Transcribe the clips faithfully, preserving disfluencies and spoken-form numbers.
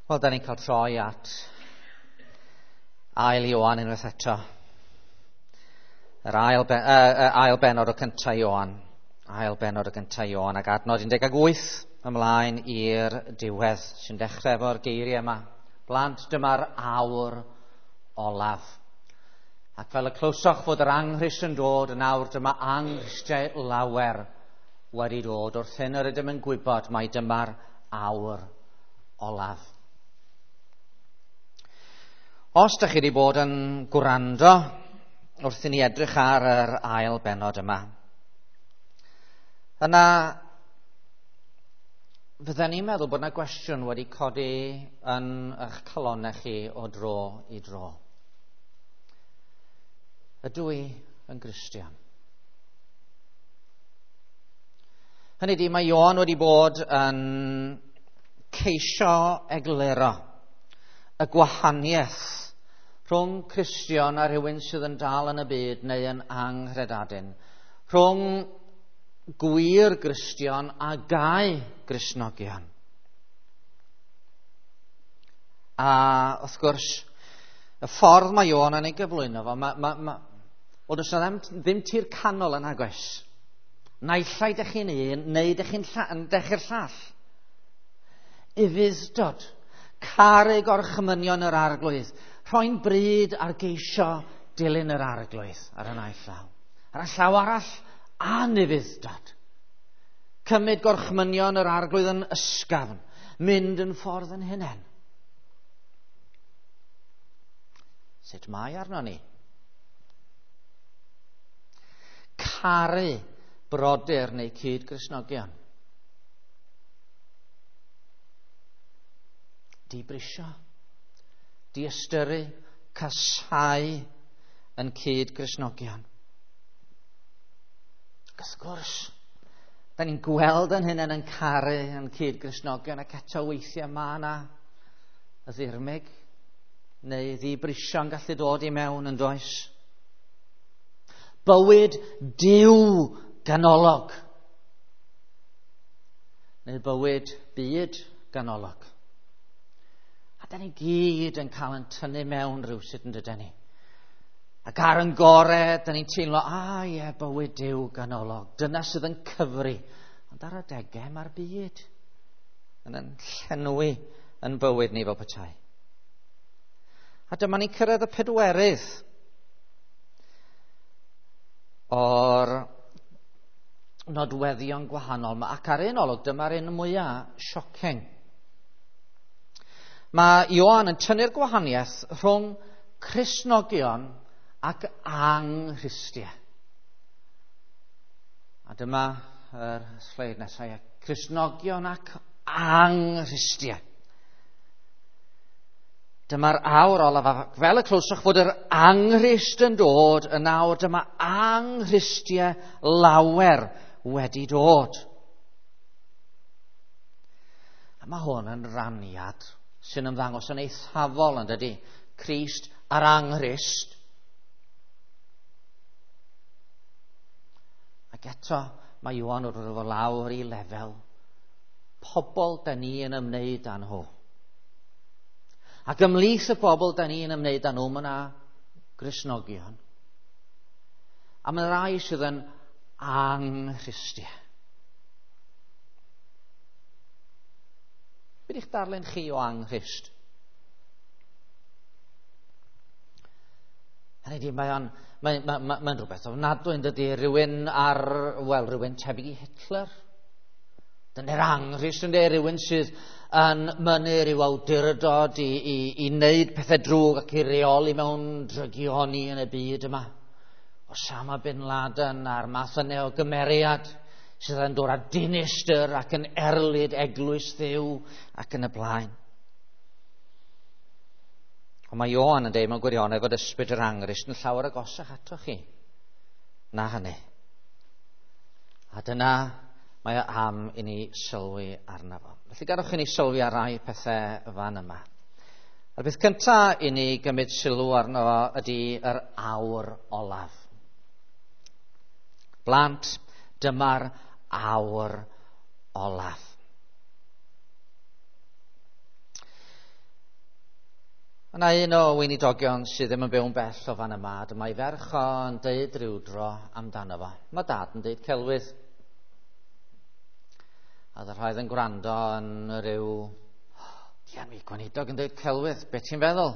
Wel, da ni'n cael troi at ail Ioan unwaith eto. Yr ail, ben, uh, ail benod o cyntaf Ioan. Ail benod o gyntaf Ioan ac adnod un deg wyth ymlaen i'r diwedd sy'n dechrau efo'r geiriau yma. Blant, dyma'r awr olaf. Ac fel y clywsoch fod yr anghrist yn dod, yn awr dyma anghristiau lawer wedi dod. Wrth hyn yr ydym yn gwybod mai dyma'r awr olaf. Os ydych chi wedi bod yn gwrando wrth i ni edrych ar yr ail bennod yma, yna fydden ni'n meddwl bod yna gwestiwn wedi codi yn eich calonnau chi o dro i dro. Ydw i yn Gristion? Hynny ydi, mae Ioan wedi bod yn ceisio egluro y gwahaniaeth rhwng Cristion a rhywun sydd yn dal yn y byd neu yn anghredadun, rhwng gwir Gristion a gau Gristnogion. A wrth gwrs, y ffordd mae Ioan yn ei gyflwyno fo, ma, ma, ma, wel, does 'na ddim, ddim tir canol yn agos. Naill ai dych chi'n un, neu dych chi'n dych chi'r llall. Ufudd-dod, caru gorchmynion yr Arglwydd, rhoi'n bryd ar geisio dilyn yr Arglwydd ar y naill llaw. Ar y llaw arall, anufudd-dod. Cymryd gorchmynion yr Arglwydd yn ysgafn, mynd yn ffordd yn hunain. Sut mae arno ni? Caru brodyr neu cyd-Gristnogion. Dibrisio, diystyru, casáu yn cyd-Gristnogion. Ac wrth gwrs, da ni'n gweld yn hynny yn caru yn cyd-Gristnogion, ac eto weithiau mae yna y ddirmyg neu ddibrisio'n gallu dod i mewn yn does. Bywyd Duw ganolog neu bywyd byd ganolog. A da ni gyd yn cael yn tynnu mewn rhywsut yn dydyn ni. Ac ar yn gore, da ni'n teimlo, a ie, bywyd Duw ganolog. Dyna sydd yn cyfri. Ond ar adegau mae'r byd yn yn llenwi yn bywyd ni fel petai. A dyma ni'n cyrraedd y pedwerydd o'r nodweddion gwahanol yma. Ac ar un olwg, dyma'r un mwyaf shocking. Mae Ioan yn tynnu'r gwahaniaeth rhwng Cristnogion ac anghristiau. A dyma yr sleid nesaf, Cristnogion ac anghristiau. Dyma'r awr olaf, fel y clywsoch fod yr anghrist yn dod, yn awr dyma anghristiau lawer wedi dod. A mae hwn yn raniad sy'n ymddangos yn eithafol, yn dydy? Crist a'r anghrist. Ac eto mae Ioan wrth ddod lawr i lefel pobl da ni yn ymwneud â nhw. Ac ymhlith y bobl da ni yn ymwneud â nhw, mae yna Gristnogion. A mae rai sydd yn anghristiau. Be ydych darllen chi o anghrist? Hynny ydi, mae'n mae, mae, mae, mae rhywbeth ofnadwy yn dydy, rhywun ar, wel, rhywun tebyg i Hitler. Dyna'r anghrist yn dweud, rhywun sydd yn mynnu rhyw awdurdod i, i, i wneud pethau drwg ac i reoli mewn drygioni yn y byd yma. Osama bin Laden a'r math yna o gymeriad sydd yn dod â dinistr ac yn erlid eglwys Dduw ac yn y blaen. Ond mae Ioan yn dweud mewn gwirionedd fod ysbryd yr anghrist yn llawer agosach atoch chi na hynny. A dyna mae o am i ni sylwi arno fo. Felly gadewch i ni sylwi ar rai pethau fan yma. A'r beth cyntaf i ni gymryd sylw arno fo ydy yr awr olaf. Blant, dyma'r awr olaf. Mae yna un o weinidogion sydd ddim yn byw'n bell o fan yma, dyma'i ferch o'n deud rhyw dro amdano fo. Mae dad yn deud celwydd. A oedd y rhai yn gwrando yn rhyw, dian mi, gweinidog yn deud celwydd, be ti'n feddwl?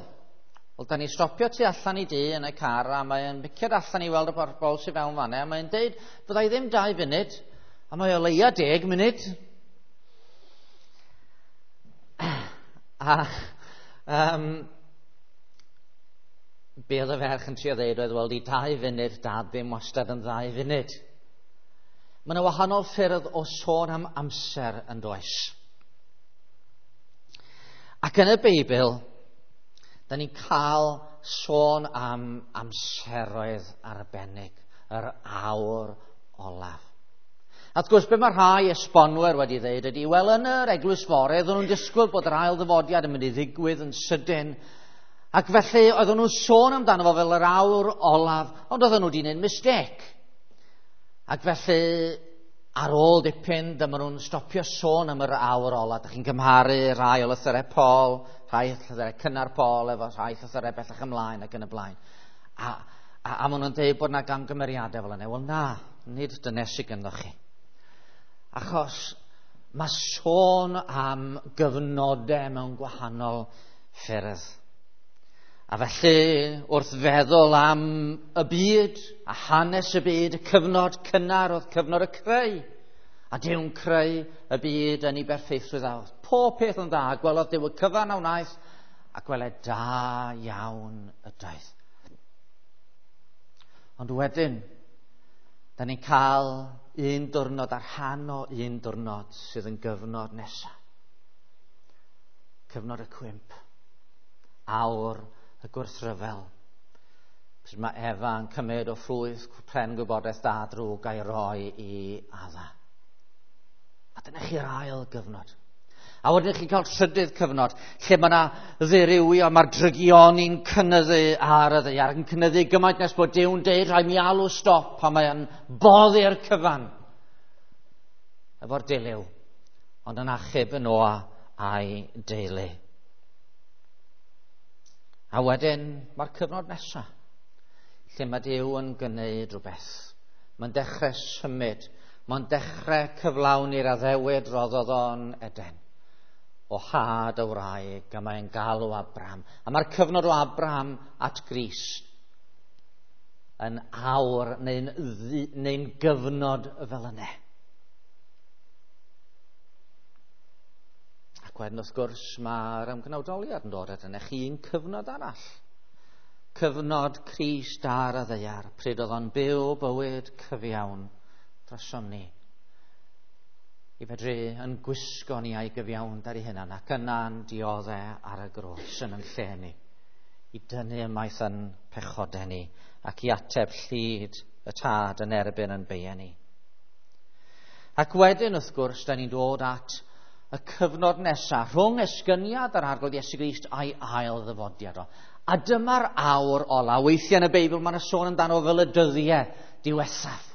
Wel, da ni stopio tu allan i dŷ yn y car, a mae'n biciad allan i weld y bobl sydd fewn fanna, a mae'n deud, byddai ddim dau funud, a mae o leia deg munud. A um, be oedd y ferch yn trio ddeud oedd, wel, di dau funud, dad ddim wastad yn ddau funud. Mae yna wahanol ffyrdd o sôn am amser yn does. Ac yn y Beibl, da ni'n cael sôn am amseroedd arbennig, yr awr olaf. A wrth gwrs, be mae rhai esbonwyr wedi dweud ydy, wel, yn yr eglwys fore, oedden nhw'n disgwyl bod yr ail ddyfodiad yn mynd i ddigwydd yn sydyn, ac felly oedden nhw'n sôn amdano fo fel yr awr olaf, ond oedden nhw wedi gwneud mistake. Ac felly, ar ôl dipyn, dyma nhw'n stopio sôn am yr awr olaf. Dach chi'n cymharu rhai o lythyrau Paul, rhai llythyrau cynnar Paul, efo rhai llythyrau bellach ymlaen ac yn y blaen. A, a, a maen nhw'n dweud bod yna gamgymeriadau fel yna. Wel na, nid dynesig ynddo chi. Achos mae sôn am gyfnodau mewn gwahanol ffyrdd. A felly, wrth feddwl am y byd, a hanes y byd, y cyfnod cynnar oedd cyfnod y creu. A Duw'n creu y byd yn ei berffeithrwydd a oedd pob peth yn dda. Gwelodd Duw y cyfan a wnaeth, a gweled da iawn ydoedd. Ond wedyn, da ni'n cael un diwrnod ar rhan o un diwrnod sydd yn gyfnod nesaf. Cyfnod y cwymp. Awr y gwrthryfel. Pryd mae Efa yn cymryd o ffrwyth pren gwybodaeth da drwg a'i roi i Adda. A dyna chi'r ail gyfnod. A wedyn chi'n cael trydydd cyfnod, lle mae yna ddirywio, mae'r drygioni'n cynyddu ar y ddaear, yn cynyddu gymaint nes bod Duw'n deud rhaid mi alw stop, a mae'n boddi'r cyfan efo'r dilyw, ond yn achub y Noa a'i deulu. A wedyn mae'r cyfnod nesaf, lle mae Duw yn gwneud rhywbeth. Mae'n dechrau symud, mae'n dechrau cyflawni'r addewid roddodd o'n Eden. O had y wraig, a mae'n galw Abraham. A mae'r cyfnod o Abraham at Grist yn awr neu'n, neu'n gyfnod fel yna. Ac wedyn wrth gwrs mae'r ymgnawdoliad yn dod at yna chi'n cyfnod arall. Cyfnod Crist ar y ddaear, pryd oedd o'n byw bywyd cyfiawn drosom ni. I fedru yn gwisgo ni a'i gyfiawnder ei hunan ac yna'n dioddau ar y groes yn yn lle ni. I dynnu ymaith yn pechodau ni ac i ateb llid y tad yn erbyn yn beiau ni. Ac wedyn wrth gwrs, da ni'n dod at y cyfnod nesaf rhwng esgyniad yr Arglwydd Iesu Grist a'i ail ddyfodiad o. A dyma'r awr ola. Weithiau yn y Beibl mae yna sôn amdano fel y dyddiau diwethaf.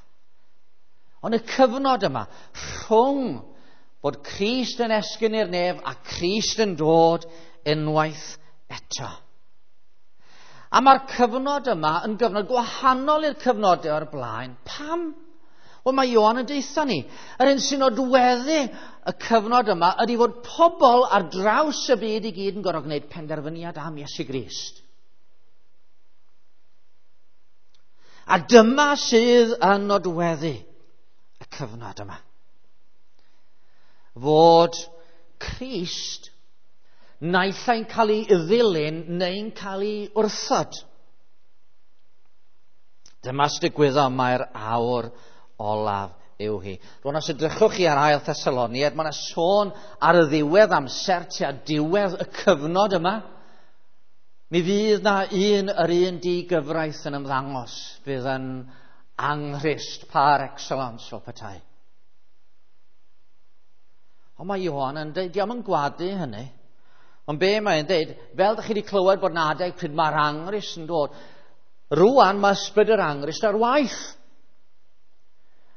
Ond y cyfnod yma, rhwng bod Crist yn esgyn i'r nef a Crist yn dod unwaith eto. A mae'r cyfnod yma yn gyfnod gwahanol i'r cyfnodau o'r blaen. Pam? Wel, mae Ioan yn deutha ni. Yr un sy'n nodweddu y cyfnod yma ydy fod pobl ar draws y byd i gyd yn gorfod gwneud penderfyniad am Iesu Grist. A dyma sydd yn nodweddu y cyfnod yma. Fod Crist naill ai'n cael ei ddilyn neu'n cael ei wrthod. Dyma sy'n digwyddo, mae'r awr olaf yw hi. Rwan os edrychwch chi ar ail Thessaloniaid, mae yna sôn ar y ddiwedd amser tua diwedd y cyfnod yma. Mi fydd na un yr un digyfraith yn ymddangos, fydd yn anghrist par excellence fel petai. Ond mae Ioan yn dweud, dio'm yn gwadu hynny. Ond be mae'n dweud, fel ydych chi wedi clywed bod 'na adeg pryd mae'r anghrist yn dod, rwan mae ysbryd yr anghrist ar waith.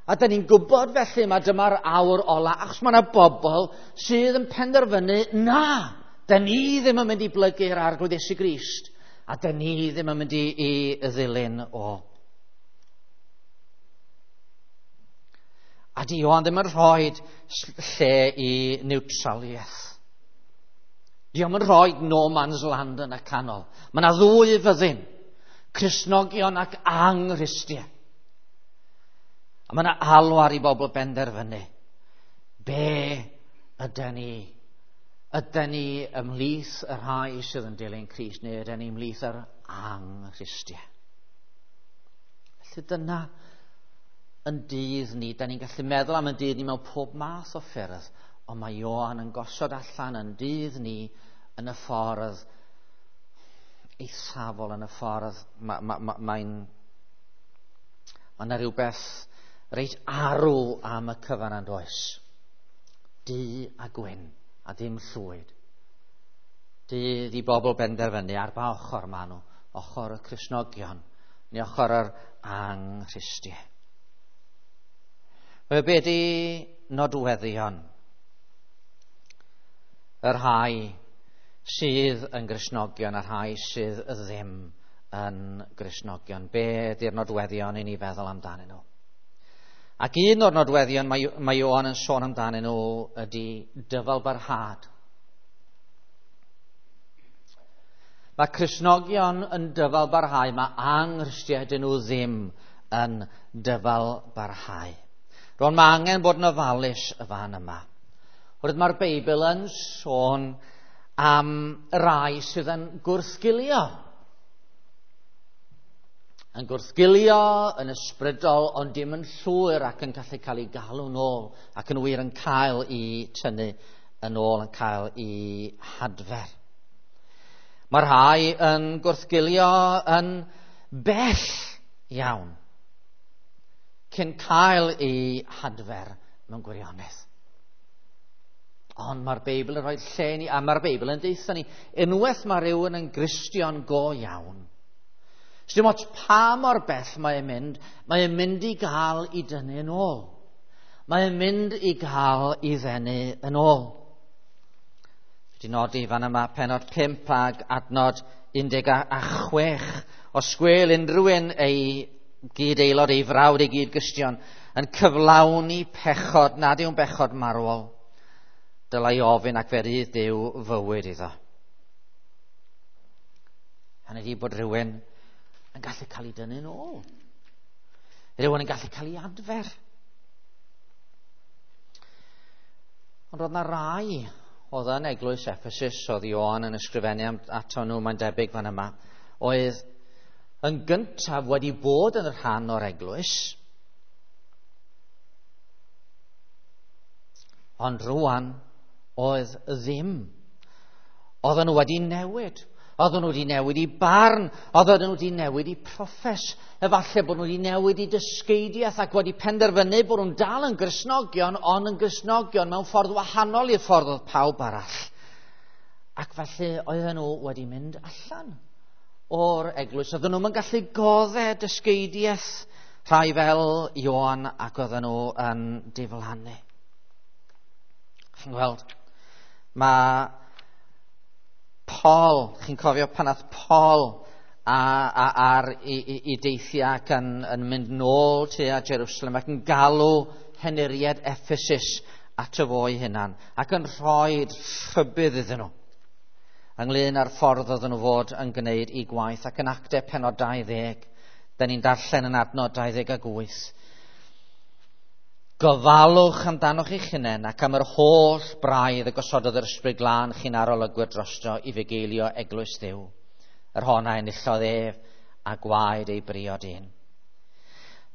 A da ni'n gwybod felly mae dyma'r awr ola, achos mae yna bobl sydd yn penderfynu, na, Dyn ni ddim yn mynd i blygu'r Arglwydd Iesu Grist, a dyn ni ddim yn mynd i, i ddilyn o. A di Ioan ddim yn rhoi lle i niwtraliaeth. Di o'm yn rhoi no man's land yn y canol. Mae yna ddwy fyddin, Cristnogion ac anghristiaid. A mae yna alwar i bobl benderfynu. Be ydy ni? Ydy ni ymhlith y rhai sydd yn dilyn Crist, neu ydy ni ymhlith yr anghristiaid? Felly dyna yn dydd ni. Da ni'n gallu meddwl am yn dydd ni mewn pob math o ffyrdd, ond mae Ioan yn gosod allan yn dydd ni yn y ffordd eithafol, yn y ffordd mae'n ma, ma, mae'n ma yna rhywbeth reit arw am y cyfan yn does. Du a gwyn a dim llwyd. Dydd i bobl benderfynu ar ba ochr maen nhw, ochr y Cristnogion neu ochr yr anghristiaid. Be di nodweddion y rhai sydd yn Gristnogion a rhai sydd ddim yn Gristnogion? Be di'r nodweddion i ni feddwl amdanyn nhw? Ac un o'r nodweddion mae, mae Ioan yn sôn amdanyn nhw ydy dyfalbarhad. Mae Cristnogion yn dyfalbarhau, mae anghristiaid nhw ddim yn dyfalbarhau. Rwan mae angen bod yn ofalus y fan yma. Oherwydd mae'r Beibl yn sôn am rai sydd yn gwrthgilio. Yn gwrthgilio, yn ysbrydol, ond dim yn llwyr ac yn gallu cael ei galw nôl, ac yn wir yn cael ei tynnu yn ôl, yn cael ei hadfer. Mae rhai yn gwrthgilio yn bell iawn cyn cael ei hadfer mewn gwirionedd. Ond mae'r Beibl yn rhoi lle ni, a mae'r Beibl yn deutha ni, unwaith mae rhywun yn Gristion go iawn, dim ots pa mor bell mae'n mynd, mae'n mynd i gael ei dynnu yn ôl. Mae'n mynd i gael ei ddenu yn ôl. Wedi nodi fan yma penod pump ag adnod un deg a chwech. Os gwel unrhyw un ei gyd-aelod, ei frawd, ei gyd-gristion yn cyflawni pechod nad yw'n bechod marwol, dylai ofyn ac fe rydd Duw fywyd iddo. Hynny ydi bod rhywun yn gallu cael ei dynnu'n ôl. Rhywun yn gallu cael ei adfer. Ond roedd yna rai oedd yn eglwys Ephesus, oedd Ioan yn ysgrifennu ato nhw, mae'n debyg fan yma, oedd yn gyntaf wedi bod yn rhan o'r eglwys, ond rwan oedd ddim. Oedden nhw wedi newid. Oedden nhw wedi newid i barn. Oedden nhw wedi newid i proffes. Efallai bod nhw wedi newid i dysgeidiaeth ac wedi penderfynu bod nhw'n dal yn Gristnogion, ond yn Gristnogion mewn ffordd wahanol i'r ffordd oedd pawb arall. Ac felly oedden nhw wedi mynd allan o'r eglwys. Oedden nhw'n gallu godde dysgeidiaeth rhai fel Ioan, ac oedden nhw yn diflannu. Chi'n gweld, mae Paul, chi'n cofio pan nath Paul a, a, ar i, i, i deithiau ac yn, yn mynd nôl tua Jerusalem ac yn galw henuriad Ephesus ato fo ei hunan ac yn rhoi rhybudd iddyn nhw ynglyn â'r ffordd oedden nhw fod yn gwneud i gwaith. Ac yn Actau penod dau ddeg, da ni'n darllen yn adnod dau ddeg ag wyth. Gofalwch amdanoch eich hunain ac am yr holl braidd y gosododd yr Ysbryd Glân chi'n arolygwyr drosto i fugeilio eglwys Dduw, yr hon a enillodd ef a gwaed ei briod un.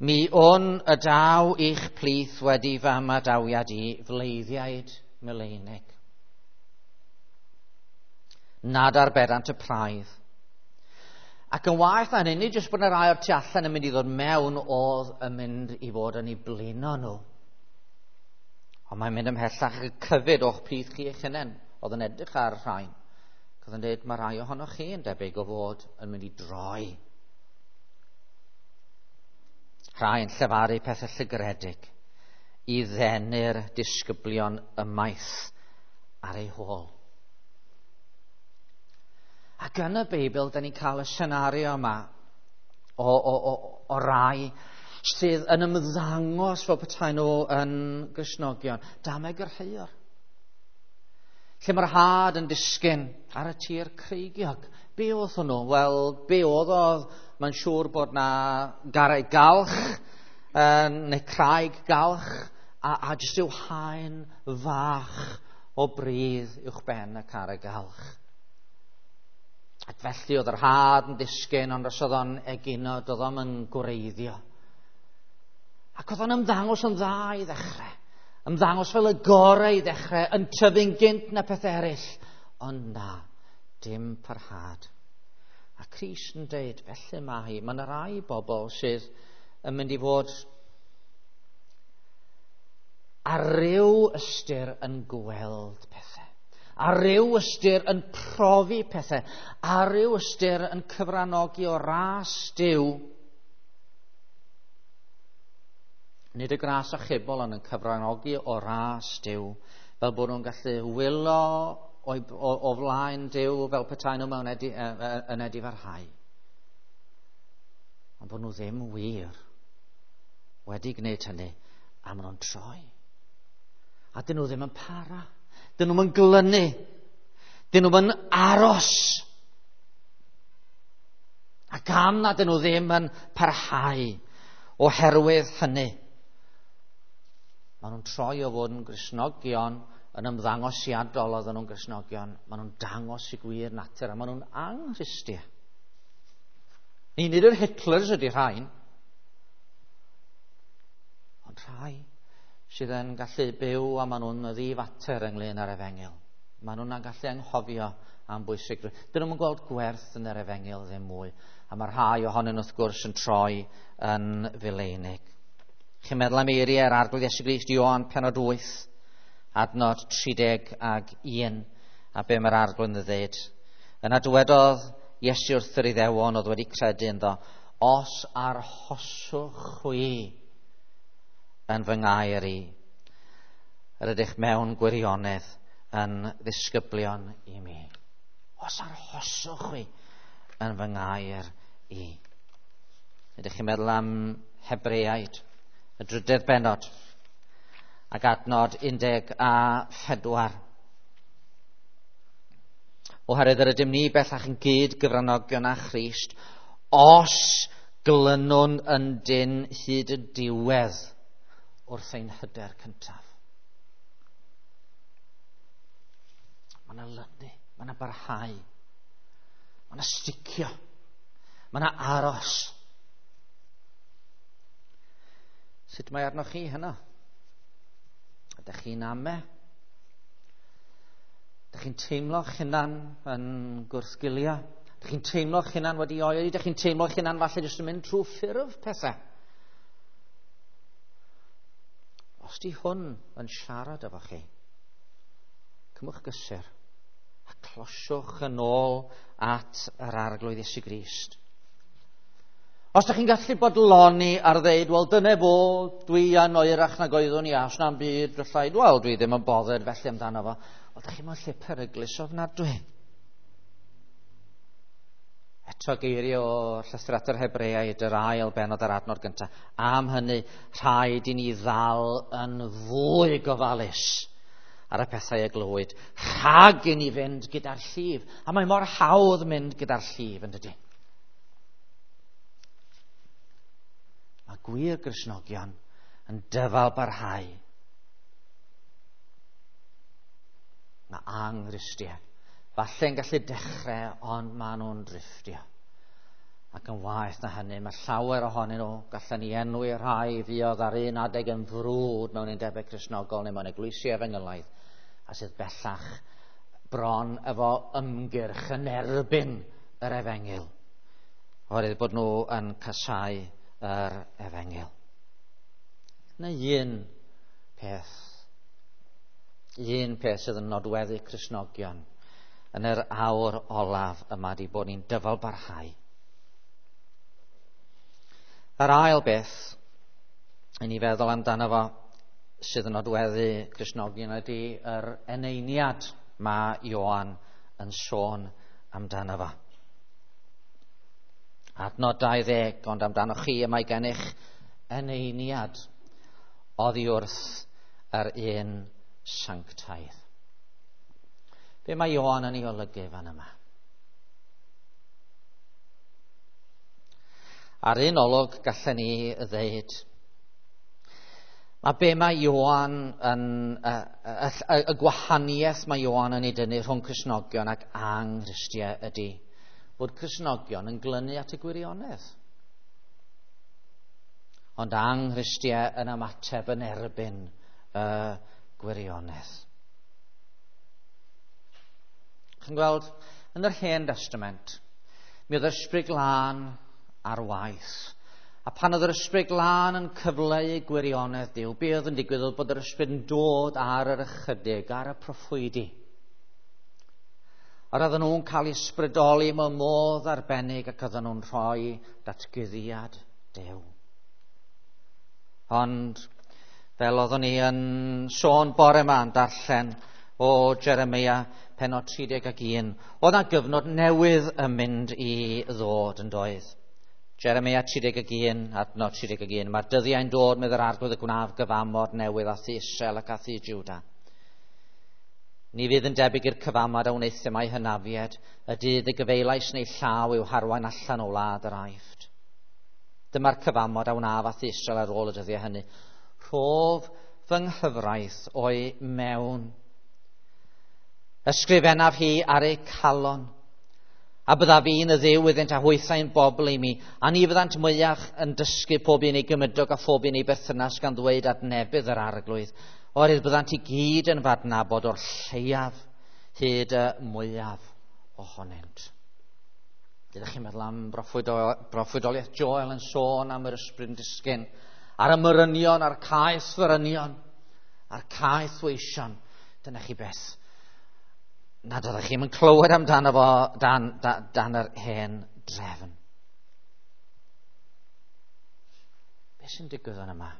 Mi wn y daw i'ch plith wedi fy ymadawiad i fleiddiaid mileinig, nad arbedant y praidd. Ac yn waeth na hynny, nid jyst bod yna rai o'r tu allan yn mynd i ddod mewn oedd yn mynd i fod yn ei blino nhw. Ond mae'n mynd ymhellach y cyfyd o'ch plith chi eich hunain, oedd yn edrych ar y rhain. Oedd yn dweud, mae rai ohonoch chi yn debyg o fod yn mynd i droi. Rhai yn llefaru pethau llygredig i ddenu'r disgyblion ymaith ar ei hôl. Ac yn y Beibl, da ni'n cael y senario yma o, o, o, o rai sydd yn ymddangos fel petai nhw yn Gristnogion. Dameg yr heuwr. Lle mae'r had yn disgyn ar y tir creigiog. Be oedd hwnnw? Wel, be oedd oedd? Mae'n siŵr bod na garreg galch, uh, neu craig galch, a, a jyst yw haen fach o bridd uwch ben y carreg galch. Ac felly oedd yr had yn disgyn, ond os oedd o'n egino, doedd o'm yn gwreiddio. Ac oedd o'n ymddangos yn dda i ddechrau. Ymddangos fel y gorau i ddechrau, yn tyfu'n gynt na peth eraill. Ond na, dim parhad. A Crist yn deud, felly mae hi, mae yna rai bobl sydd yn mynd i fod ar ryw ystyr yn gweld pethau. Ar ryw ystyr yn profi pethau. Ar ryw ystyr yn cyfranogi o ras Duw. Nid y gras achubol, ond yn cyfranogi o ras Duw, fel bod nhw'n gallu wylo o, o, o flaen Duw fel petai nhw mewn edi, yn edifarhau. Ond bod nhw ddim wir wedi gwneud hynny, a maen nhw'n troi. A dyn nhw ddim yn para. Dyn nhw'n glynu. Dyn nhw'n aros. A gan na dyn nhw ddim yn parhau oherwydd hynny, maen nhw'n troi o fod yn Gristnogion, yn ymddangosiadol oedden nhw'n Gristnogion. Maen nhw'n dangos i gwir natur a maen nhw'n anghristiau. Ni nid yr Hitlers ydy rhain, ond rhai sydd yn gallu byw a maen nhw'n ddifater ynglyn â'r efengyl. Maen nhw'n gallu anghofio am bwysigrwydd. Dyn nhw'n gweld gwerth yn yr efengyl ddim mwy. A mae rhai ohonyn wrth gwrs yn troi yn fileinig. Chi'n meddwl am eiriau yr Arglwydd Iesu Grist, Ioan pennod wyth, adnod tri deg ag un, a be mae'r Arglwydd yn dweud. Yna dywedodd Iesu wrth yr Iddewon oedd wedi credu ynddo, os arhoswch chwi yn fy ngair i, yr ydych mewn gwirionedd yn ddisgyblion i mi. Os arhoswch chwi yn fy ngair i. Ydych chi'n meddwl am Hebreaid, y drydedd bennod, ac adnod un deg a phedwar. Oherwydd yr ydym ni bellach yn gyd gyfranogion â Christ, os glynwn yn dyn hyd y diwedd wrth ein hyder cyntaf. Mae yna lynu, mae yna barhau, mae yna sticio, mae yna aros. Sut mae arnoch chi heno? Ydych chi'n ame? Ydych chi'n teimlo'ch hunan yn gwrthgilio? Ydych chi'n teimlo'ch hunan wedi oeri? Ydych chi'n teimlo'ch hunan falle jyst yn mynd trwy ffurf pethau? Os di hwn yn siarad efo chi, cymwch gysur a closiwch yn ôl at yr Arglwydd Iesu Grist. Os ydych chi'n gallu bodloni ar ddeud, wel dyna fo, dwi yn oerach nag oeddwn i, os na'm byd, allai, wel dwi ddim yn bothered felly amdano fo. Wel, ydych chi'n mewn lle peryglus ofnadwy. Eto geiriau o llythyr at yr Hebreaid, yr ail bennod ar adnod gyntaf. Am hynny, rhaid i ni ddal yn fwy gofalus ar y pethau y glywyd, rhag i ni fynd gyda'r llif. A mae mor hawdd mynd gyda'r llif, yn dydy? Mae gwir Gristnogion yn dyfal barhau. Mae anghristiau falle yn gallu dechrau, ond maen nhw'n drifftio. Ac yn waeth na hynny, mae llawer ohonyn nhw, gallen ni enwi rhai fuodd ar un adeg yn frwd mewn undebau Cristnogol neu mewn eglwysi efengylaidd, a sydd bellach bron efo ymgyrch yn erbyn yr efengyl, oherwydd bod nhw yn casáu yr efengyl. Yna un peth, un peth sydd yn nodweddu Cristnogion yn yr awr olaf yma di bod ni'n dyfal barhau. Yr ail beth i ni feddwl amdano fo sydd yn nodweddu Cristnogion ydy yr eneiniad mae Ioan yn sôn amdano fo. Adnod dau ddeg, ond amdano chi y mae gennych eneiniad oddi wrth yr un sanctaidd. Be mae Ioan yn ei olygu fan yma? Ar un olwg gallen ni ddeud, mae be mae Ioan yn, y, y, y, y gwahaniaeth mae Ioan yn ei dynnu rhwng Cristnogion ac anghristiau ydy bod Cristnogion yn glynu at y gwirionedd, ond anghristiau yn ymateb yn erbyn y gwirionedd. Chi'n gweld, yn yr Hen Testament, mi oedd yr Ysbryd Glân ar waith. A pan oedd yr Ysbryd Glân yn cyfleu gwirionedd Duw, be oedd yn digwydd oedd bod yr Ysbryd yn dod ar yr ychydig, ar y proffwydi. A oedden nhw'n cael eu ysbrydoli mewn modd arbennig ac oedden nhw'n rhoi datguddiad Duw. Ond, fel oeddwn ni yn sôn bore yma yn darllen o Jeremia pennod tri deg ac un, oedd 'na gyfnod newydd yn mynd i ddod yn doedd. Jeremia tri deg ac un, adnod tri deg ac un. Mae'r dyddiau'n dod, medd yr Arglwydd, y gwnaf gyfamod newydd â thŷ Israel ac â thŷ Jwda. Ni fydd yn debyg i'r cyfamod a wnaethum â'u hynafied, y dydd y gyfeilais neu llaw i'w harwain allan o wlad yr Aifft. Dyma'r cyfamod a wnaf â thŷ Israel ar ôl y dyddiau hynny. Rhof fy nghyfraith o'i mewn. Ysgrifennaf hi ar eu calon. A byddaf fi'n y Dduw iddynt a hwythau'n bobl i mi, a ni fyddant mwyach yn dysgu pob un ei gymydog a phob un ei berthynas gan ddweud adnebydd yr Arglwydd, oherwydd byddant i gyd yn f'adnabod o'r lleiaf hyd y mwyaf ohonynt. Ydych chi'n meddwl am broffwydoliaeth Joel yn sôn am yr ysbryd yn disgyn, ar y morynion, a'r caeth forynion, a'r caeth weision. Dyna chi beth nad oeddech chi'n clywed amdano fo dan, dan, dan yr hen drefn. Be sy'n digwydd yn yma?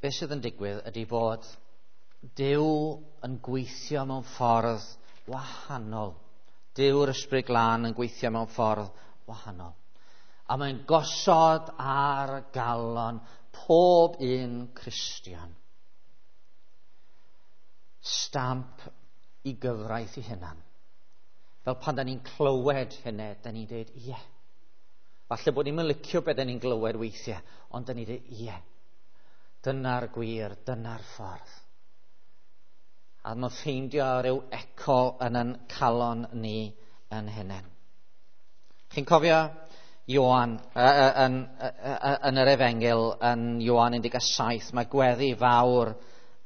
Be sydd yn digwydd ydy bod Duw yn gweithio mewn ffordd wahanol. Duw'r Ysbryd Glân yn gweithio mewn ffordd wahanol. A mae'n gosod ar galon pob un Cristion stamp i gyfraith i hunan. Fel pan da ni'n clywed hynny, da ni'n dweud, ie. Falle bod ni'n licio beth da ni'n glywed weithiau, ond da ni'n dweud, ie. Dyna'r gwir, dyna'r ffordd. A mae'n ffeindio rhyw eco yn yn calon ni yn hunain. Chi'n cofio Ioan yn, yn yr Efengyl, yn Ioan un deg saith, mae gweddi fawr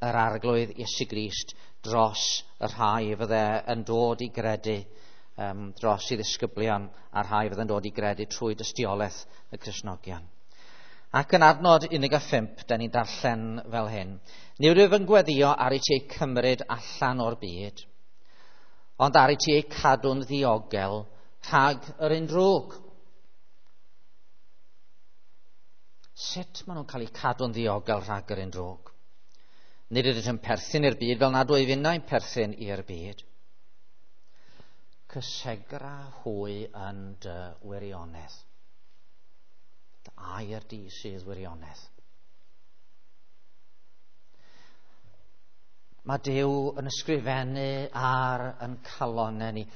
yr Arglwydd Iesu Grist dros y rhai fydde yn dod i gredu, um, dros i ddisgyblion a'r rhai fydde yn dod i gredu trwy dystiolaeth y Cristnogion. Ac yn adnod un deg pump, da ni'n darllen fel hyn. Nid wyf yn gweddio ar i ti eu cymryd allan o'r byd, ond ar i ti eu cadw'n ddiogel rhag yr un drwg. Sut maen nhw'n cael eu cadw'n ddiogel rhag yr un drwg? Nid ydych yn perthyn i'r byd fel nad wyf innau'n perthyn i'r byd. Cysegra hwy yn dy wirionedd. Dy air di sydd wirionedd. Mae Duw yn ysgrifennu ar yn calonnau ni.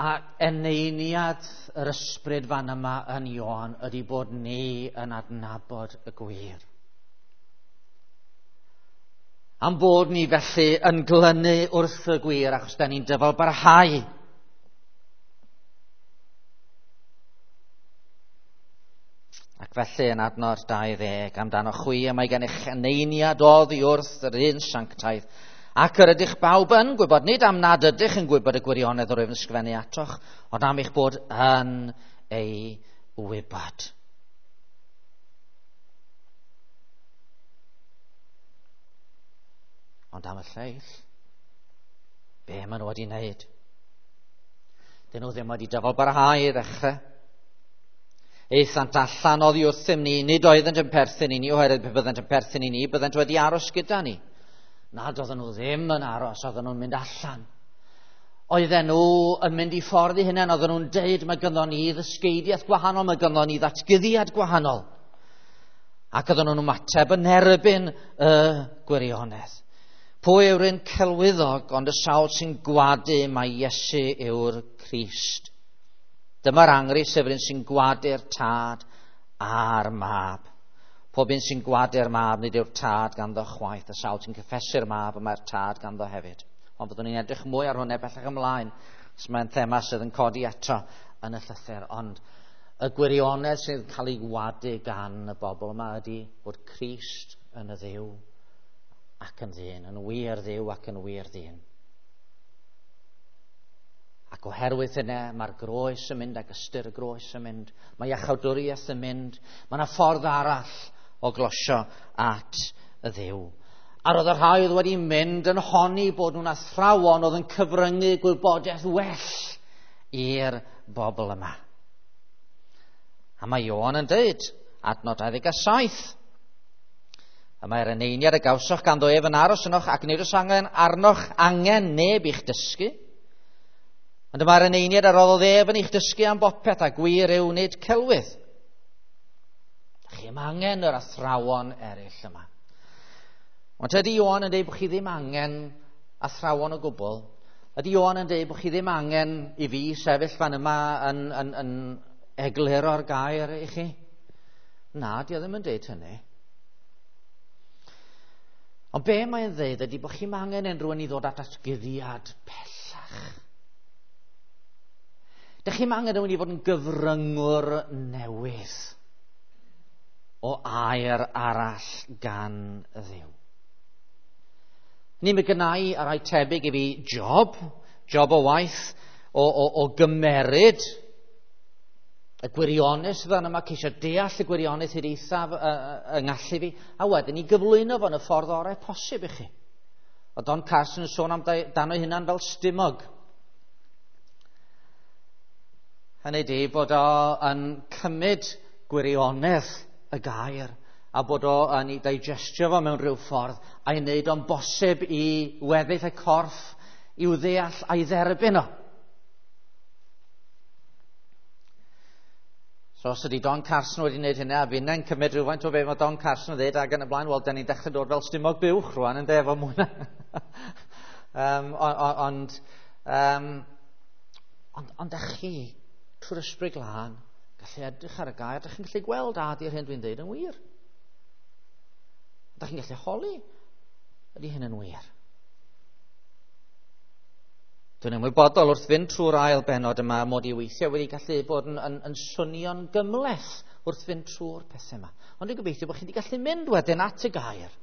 A eneiniad yr ysbryd fan yma yn Ioan ydy bod ni yn adnabod y gwir. Am bod ni felly yn glynu wrth y gwir achos da ni'n dyfal barhau. Ac felly yn adnod dau ddeg, amdano chwi y mae gennych eneiniad oddi wrth yr un sanctaidd, ac yr ydych bawb yn gwybod, nid am nad ydych yn gwybod y gwirionedd yr wyf yn ysgrifennu atoch, ond am eich bod yn ei wybod. Ond am y lleill, be maen nhw wedi wneud? Dyn nhw ddim wedi dyfal barhau i ddechrau. Aethant allan oddi wrthym ni, nid oeddent yn perthyn i ni, oherwydd pe byddent yn perthyn i ni, byddent wedi aros gyda ni. Nad oedden nhw ddim yn aros, oedden nhw'n mynd allan. Oedden nhw yn mynd i ffordd i hunain, oedden nhw'n deud mae gynddon ni ddysgeidiaeth gwahanol, mae gynddon ni ddatguddiad gwahanol. Ac oedden nhw'n ymateb yn erbyn y gwirionedd. Pwy yw'r un celwyddog ond y sawl sy'n gwadu mai Iesu yw'r Crist? Dyma'r angri sef yr un sy'n gwadu'r tad a'r mab. Pob un sy'n gwadu'r mab nid yw'r tad ganddo chwaith. Y sawl sy'n cyffesu'r mab y mae'r tad ganddo hefyd. Ond byddwn ni'n edrych mwy ar hwnna bellach ymlaen, os mae'n thema sydd yn codi eto yn y llythyr. Ond y gwirionedd sydd yn cael ei wadu gan y bobl yma ydy bod Crist yn y Dduw ac yn ddyn, yn wir Dduw ac yn wir ddyn. Ac oherwydd hynny, mae'r groes yn mynd ac ystyr y groes yn mynd, mae iachawdwriaeth yn mynd, mae yna ffordd arall o glosio at y Dduw. A roedd y rhai oedd wedi mynd yn honni bod nhw'n athrawon oedd yn cyfryngu gwybodaeth well i'r bobl yma. A mae Ioan yn dweud, adnod dau ddeg saith, y mae'r eneiniad y gawsoch ganddo ef yn aros ynoch ac nid oes angen arnoch angen neb i'ch dysgu. Ond y mae'r eneiniad a roddodd ef yn eich dysgu am bopeth a gwir yw nid celwydd. Chi'm angen yr athrawon eraill yma. Ond ydy Ioan yn dweud bod chi ddim angen athrawon o gwbl? Ydy Ioan yn dweud bod chi ddim angen i fi sefyll fan yma yn, yn, yn egluro'r gair i chi? Na, di o ddim yn dweud hynny. Ond be mae'n dweud ydy bod chi'm angen unrhyw un i ddod at atguddiad pellach. Dych chi'm angen rhywun i fod yn gyfryngwr newydd o air arall gan Dduw. Ni mi gynnau a rai tebyg i fi job, job o waith, o, o, o gymeryd y gwirionedd sydd yma, ceisio deall y gwirionedd hyd eithaf yng ngallu fi, a wedyn i gyflwyno fo yn y ffordd orau posib i chi. O Don Carson yn sôn amdano ei hunan fel stumog. Hynny ydi bod o yn cymryd gwirionedd y gair a bod o yn ei digestio fo mewn rhyw ffordd a'i wneud o'n bosib i weddill y corff i'w ddeall a'i dderbyn o. So os ydy Don Carson wedi wneud hynny, a finnau'n cymryd rhywfaint o be mae Don Carson yn dweud ac yn y blaen, wel, da ni'n dechrau dod fel stumog buwch rwan yn efo mwy na. um, ond, um, ond, ond ych chi, trwy'r Ysbryd Glân, gallu edrych ar y gair, ydych chi'n gallu gweld a ydy'r hyn dwi'n dweud yn wir. Ydych chi'n gallu holi, ydy hyn yn wir. Dwi'n ymwybodol wrth fynd trwy'r ail benod yma mod i weithiau wedi gallu bod yn, yn, yn swnio'n gymhleth wrth fynd trwy'r pethau yma. Ond dwi'n gobeithio bod chi wedi gallu mynd wedyn at y gair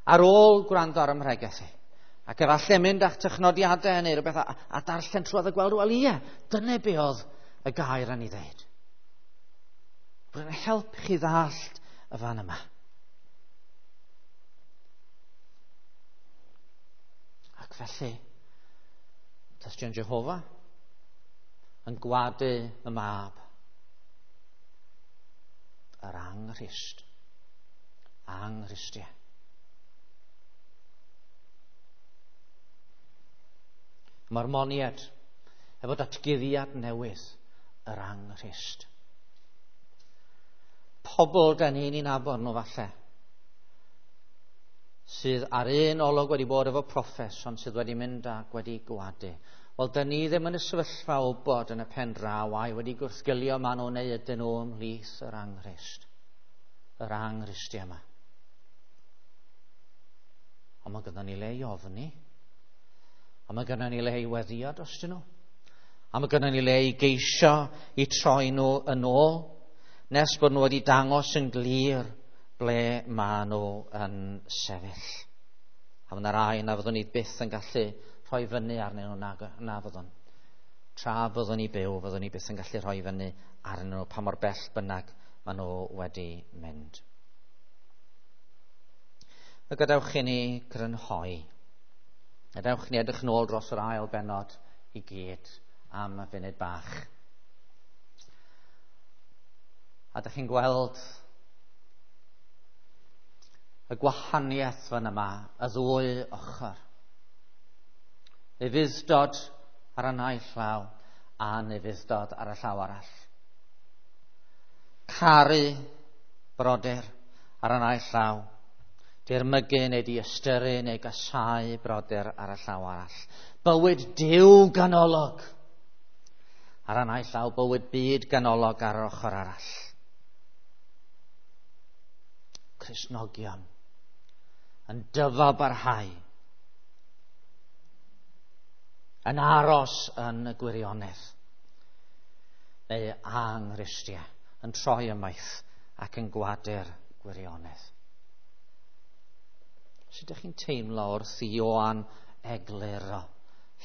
ar ôl gwrando ar ymhregeth i. Ac efallai mynd â'ch technodiadau neu rhywbeth a, a darllen trwodd a gweld, wel ie, dyna be oedd y gair yn ei ddeud. Bod yn help chi ddallt y fan yma. Ac felly, Tystion Jehofa yn gwadu y mab, yr anghrist, anghristiau. Mae'r moniad efo datguddiad newydd, yr anghrist. Pobl da ni'n ei nabod nhw falle, sydd ar un olwg wedi bod efo proffes, ond sydd wedi mynd ac wedi gwadu. Wel, da ni ddim yn y sefyllfa o bod yn y pen draw ai wedi gwrthgilio maen nhw neu ydyn nhw ymhlith yr anghrist, yr anghristiau yma. Ond mae gynnon ni le i ofni, a mae gynnon ni le i weddio drostyn nhw, a mae gynnon ni le i geisio i troi nhw yn ôl, nes bod nhw wedi dangos yn glir ble maen nhw yn sefyll. A fydd yna rai na fyddwn ni byth yn gallu rhoi fyny arnyn nhw, na, na fyddwn. Tra fyddwn ni byw, fyddwn ni byth yn gallu rhoi fyny arnyn nhw pa mor bell bynnag maen nhw wedi mynd. A gadewch i ni grynhoi. Gadewch i ni edrych nôl dros yr ail bennod i gyd am y funud bach. A dych chi'n gweld y gwahaniaeth fan yma, y ddwy ochr. Ufudd-dod ar y naill llaw, anufudd-dod ar y llaw arall. Caru brodyr ar y naill llaw, dirmygu neu diystyru neu gasáu brodyr ar y llaw arall. Bywyd Duw ganolog ar y naill llaw, bywyd byd ganolog ar yr ochr arall. Cristnogion yn dyfalbarhau, yn aros yn y gwirionedd, neu anghristiau yn troi ymaith ac yn gwadu'r gwirionedd. Sut ydych chi'n teimlo wrth i Ioan egluro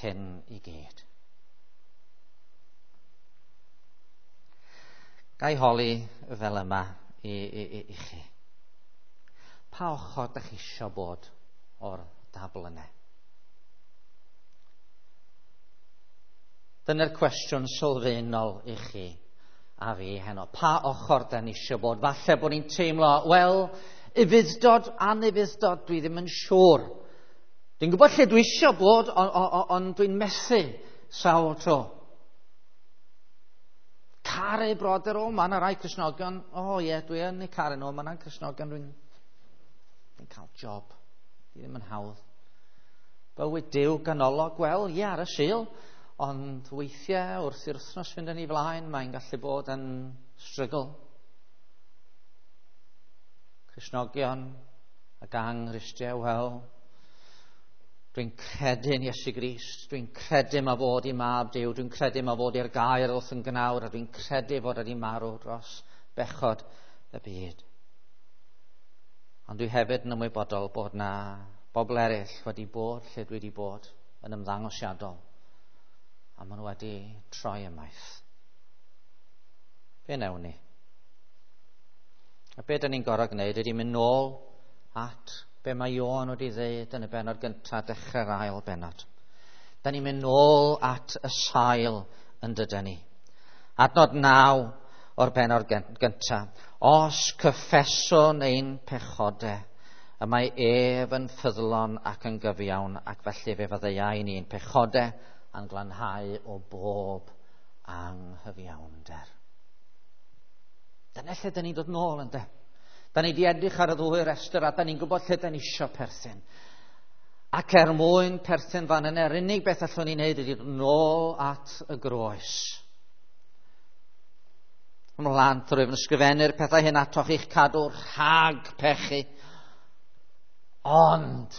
hyn i gyd? Ga i holi fel yma i, i, i, i chi. Pa ochr ydych chi eisiau bod o'r dabl yna? Dyna'r cwestiwn sylfaenol i chi a fi heno. Pa ochr da ni eisiau bod? Falle bod ni'n teimlo, wel, ufudd-dod, anufudd-dod, dwi ddim yn siŵr. Dwi'n gwybod lle dwi eisiau bod, ond on, on, on dwi'n methu sawl tro. Caru brodyr, o, mae yna rai Cristnogion, o ie, dwi yn eu caru nhw, mae yna Cristnogion, dwi'n dwi cael job, dwi ddim yn hawdd. Bywyd Duw ganolog, wel, ie, ar y Sul, ond weithiau wrth i'r wythnos fynd yn ei flaen, mae'n gallu bod yn struggle. Cristnogion ac anghristiau, wel, dwi'n credu yn Iesu Grist, dwi'n credu ma fod i mab Duw, dwi'n credu ma fod i'r gair wrth yn gnawr, a dwi'n credu fod wedi marw dros bechod y byd. Ond dwi hefyd yn ymwybodol bod na bobl eraill wedi bod lle dwi wedi bod yn ymddangosiadol, a maen nhw wedi troi ymaith. Be wnewn ni? A be dyn ni'n gorfod gwneud ydy mynd nôl at be mae Ioan wedi ddeud yn y bennod gyntaf, dechrau'r ail bennod. Da ni'n mynd nôl at y sail yn dydyn ni. Adnod naw o'r bennod gyntaf. Os cyffeswn ein pechodau, y mae ef yn ffyddlon ac yn gyfiawn, ac felly fe faddeuai ni'n pechodau a'n glanhau o bob anghyfiawnder. Dyna lle dyn ni'n dod nôl, ynde? Da ni wedi edrych ar y ddwy restr a da ni'n gwybod lle da ni eisiau perthyn. Ac er mwyn perthyn fan yna, yr unig beth allwn ni wneud ydy dod nôl at y groes. Ymlaen drwy fy ysgrifennu'r pethau hyn atoch i'ch cadw rhag pechu. Ond,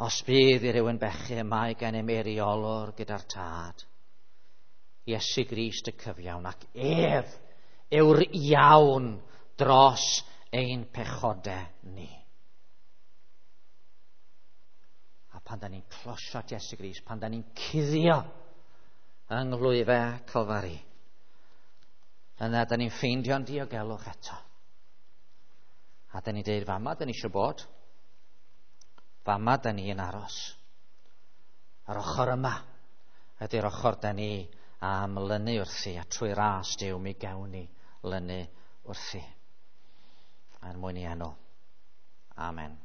os bydd i rywun bechu, mae gennym eiriolwr gyda'r Tad, Iesu Grist y cyfiawn, ac ef yw'r iawn dros ein pechodau ni. A pan da ni'n closio at Iesu Grist, pan da ni'n cuddio yng nghlwyfau Calfari, yna da ni'n ffeindio'n diogelwch eto. A da ni'n deud, fama da ni eisiau bod, fama da ni yn aros. Yr ochr yma ydy'r ochr da ni am lynu wrthi, a trwy ras Duw mi gewn ni lynu wrthi. Er mwyn i enw. Amen.